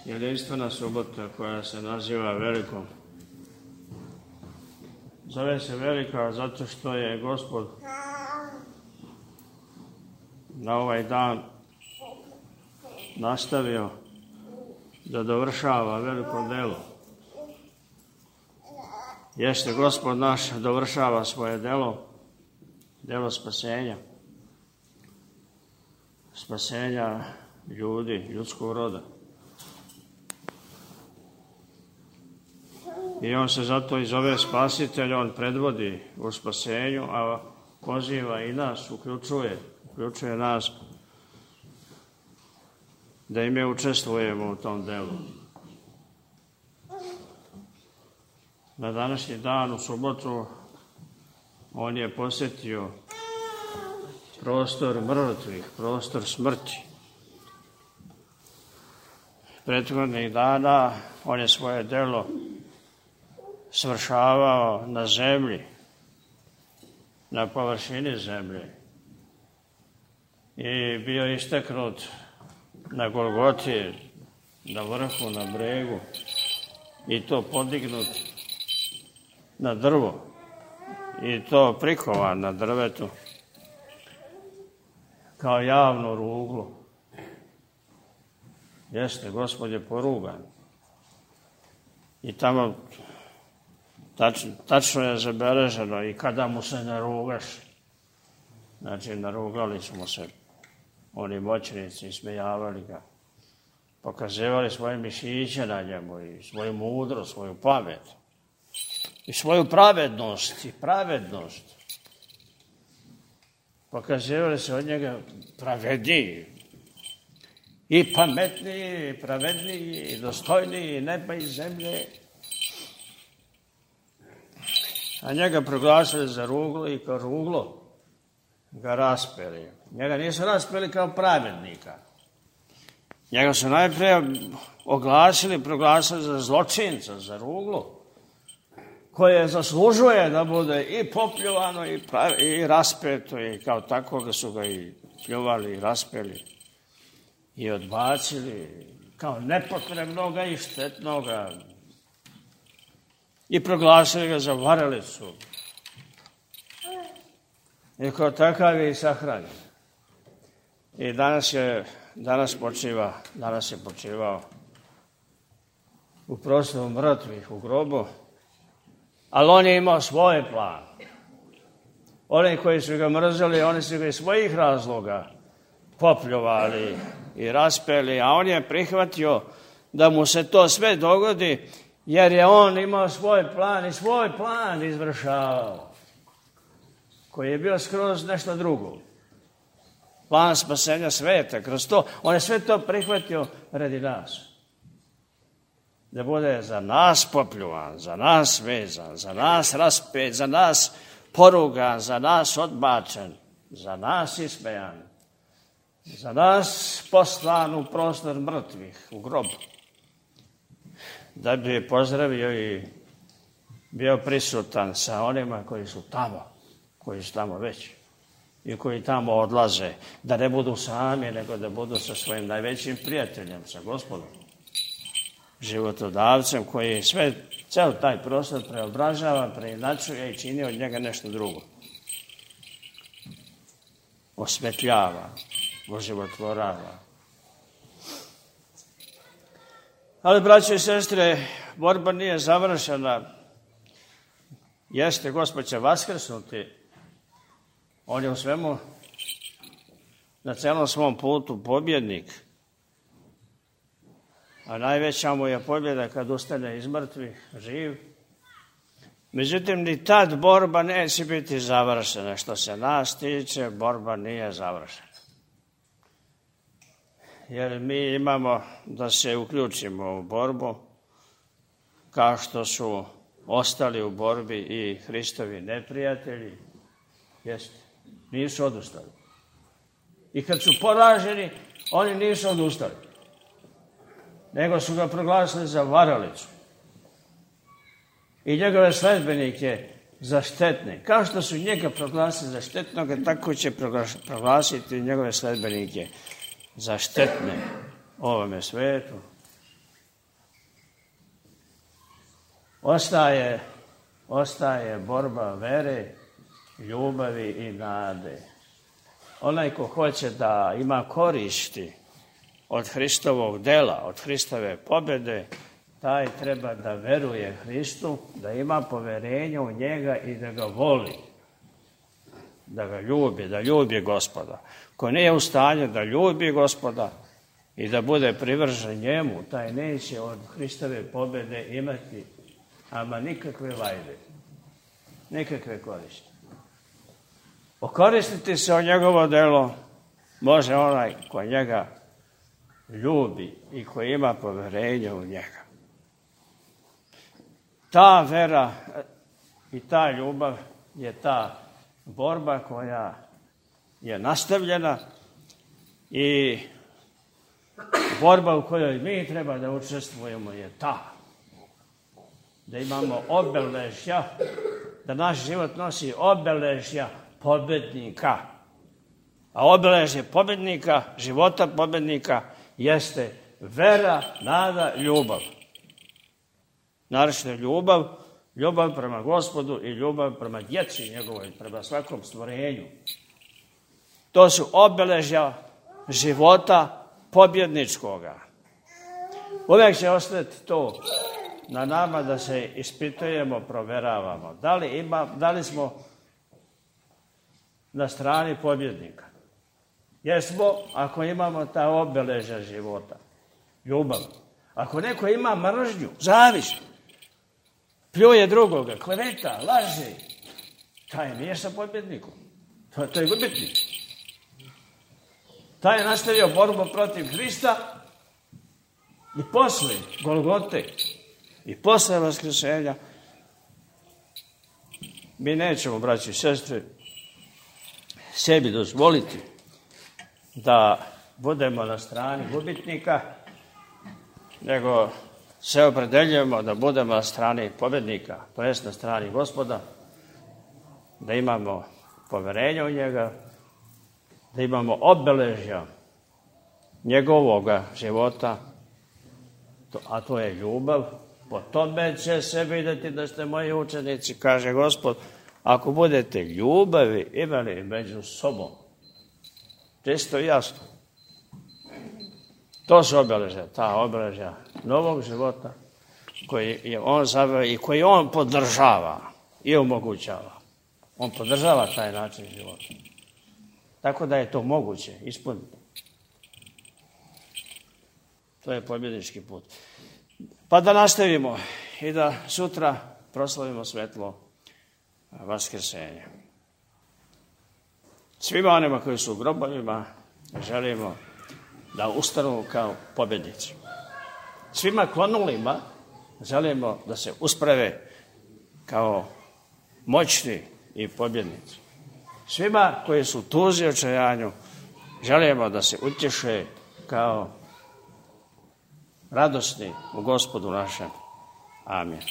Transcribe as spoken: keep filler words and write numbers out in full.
jedinstvena subota koja se naziva Velikom. Zove se Velika zato što je Gospod na ovaj dan nastavio da dovršava veliko delo. Jeste, Gospod naš dovršava svoje delo, delo spasenja. Spasenja ljudi, ljudskog roda. I on se zato i zove Spasitelj, on predvodi u spasenju, a poziva i nas, uključuje, uključuje nas da i mi učestvujemo u tom delu. Na današnji dan, u subotu, on je posjetio prostor mrtvih, prostor smrti. Prethodnih dana on je svoje delo svršavao na zemlji, na površini zemlje. I bio isteknut na Golgoti, na vrhu, na bregu, i to podignut na drvo, i to prikovan na drvetu, kao javno ruglo. Jeste, Gospod je porugan. I tamo tačno, tačno je zabeleženo i kada mu se narugaš. Znači, narugali smo se oni moćnici, ismejavali ga. Pokazivali svoje mišiće na njemu i svoju mudrost, svoju pamet. I svoju pravednost i pravednost. Pokazivali se od njega pravedniji. I pametniji, i pravedniji, i dostojniji, i neba i zemlje. A njega proglasili za ruglo i kao ruglo ga raspeli. Njega nisu raspeli kao pravednika. Njega su najprije oglasili, proglasili za zločinca, za ruglo, koje zaslužuje da bude i popljuvano i, pravi, i raspeto, i kao tako su ga i pljuvali i raspeli i odbacili kao nepotrebnoga i štetnoga i proglasili ga za varalicu. I kao takav je i sahranjen. I danas je, danas počiva, danas je počivao u prostoru mrtvih, u grobu, ali on je imao svoj plan. Oni koji su ga mrzeli, oni su ga iz svojih razloga popljuvali i raspeli, a on je prihvatio da mu se to sve dogodi, jer je on imao svoj plan i svoj plan izvršavao, koji je bio skroz nešto drugo. Plan spasenja sveta, kroz to, on je sve to prihvatio radi nas. Da bude za nas popljuvan, za nas vezan, za nas raspet, za nas porugan, za nas odbačen, za nas ismejan, za nas poslan u prostor mrtvih, u grobu. Da bi je pozdravio i bio prisutan sa onima koji su tamo, koji su tamo već i koji tamo odlaze, da ne budu sami, nego da budu sa svojim najvećim prijateljem, sa Gospodom, životodavcem, koji sve, ceo taj prostor preobražava, preinačuje i čini od njega nešto drugo. Osvetljava, oživotvorava. Ali, braće i sestre, borba nije završena. Jeste, Gospod će vaskrsnuti. On je u svemu, na celom svom putu pobjednik. A najveća mu je pobjeda kad ustane iz mrtvih, živ. Međutim, ni tad borba neće biti završena. Što se nas tiče, borba nije završena. Jer mi imamo da se uključimo u borbu, kao što su ostali u borbi i Hristovi neprijatelji. Jeste, nisu odustali. I kad su poraženi, oni nisu odustali, nego su ga proglasili za varalicu. I njegove sledbenike za štetne. Kao što su njega proglasili za štetnoga, tako će proglasiti njegove sledbenike za štetne ovome svetu ostaje, ostaje borba vere, ljubavi i nade. Onaj ko hoće da ima koristi od Hristovog dela, od Hristove pobjede, taj treba da veruje Hristu, da ima poverenje u njega i da ga voli, da ga ljubi, da ljubi Gospoda. Ko nije u stanju da ljubi Gospoda i da bude privržen njemu, taj neće od Hristove pobjede imati ama nikakve vajde, nikakve koristi. Okoristiti se o njegovo delo može onaj ko njega ljubi i koji ima poverenje u njega. Ta vera i ta ljubav je ta borba koja je nastavljena i borba u kojoj mi treba da učestvujemo je ta. Da imamo obeležja, da naš život nosi obeležja pobednika. A obeležje pobednika, života pobednika, jeste vera, nada, ljubav. Naravno ljubav, ljubav prema Gospodu i ljubav prema djeci njegovoj, prema svakom stvorenju. To su obeležja života pobjedničkoga. Uvijek će ostati to na nama da se ispitujemo, proveravamo. Da li, ima, da li smo na strani pobjednika? Jesmo, ako imamo ta obeležja života, ljubav. Ako neko ima mržnju, zavis, pljuje drugoga, kleveta, laže, taj nije sa pobjednikom. To, to je gubitnik. Taj je nastavio borbu protiv Hrista i posle Golgote i posle vaskrsenja. Mi nećemo, braći i sestre, sebi dozvoliti da budemo na strani gubitnika, nego se opredeljujemo da budemo na strani pobjednika, to jest na strani Gospoda, da imamo poverenje u njega, da imamo obeležja njegovoga života, a to je ljubav. Po tome će se vidjeti da ste moji učenici, kaže Gospod, ako budete ljubavi imali među sobom. Čisto i jasno. To su obeležja, ta obeležja novog života koji je on zaveo i koji on podržava i omogućava. On podržava taj način života. Tako da je to moguće ispuniti. To je pobjednički put. Pa da nastavimo i da sutra proslavimo svetlo vaskrsenja. Svima onima koji su u grobovima želimo da ustanu kao pobjednici. Svima klonulima želimo da se usprave kao moćni i pobjednici. Svima koji su u tuzi i očajanju želimo da se utješe kao radosni u Gospodu našem. Amin.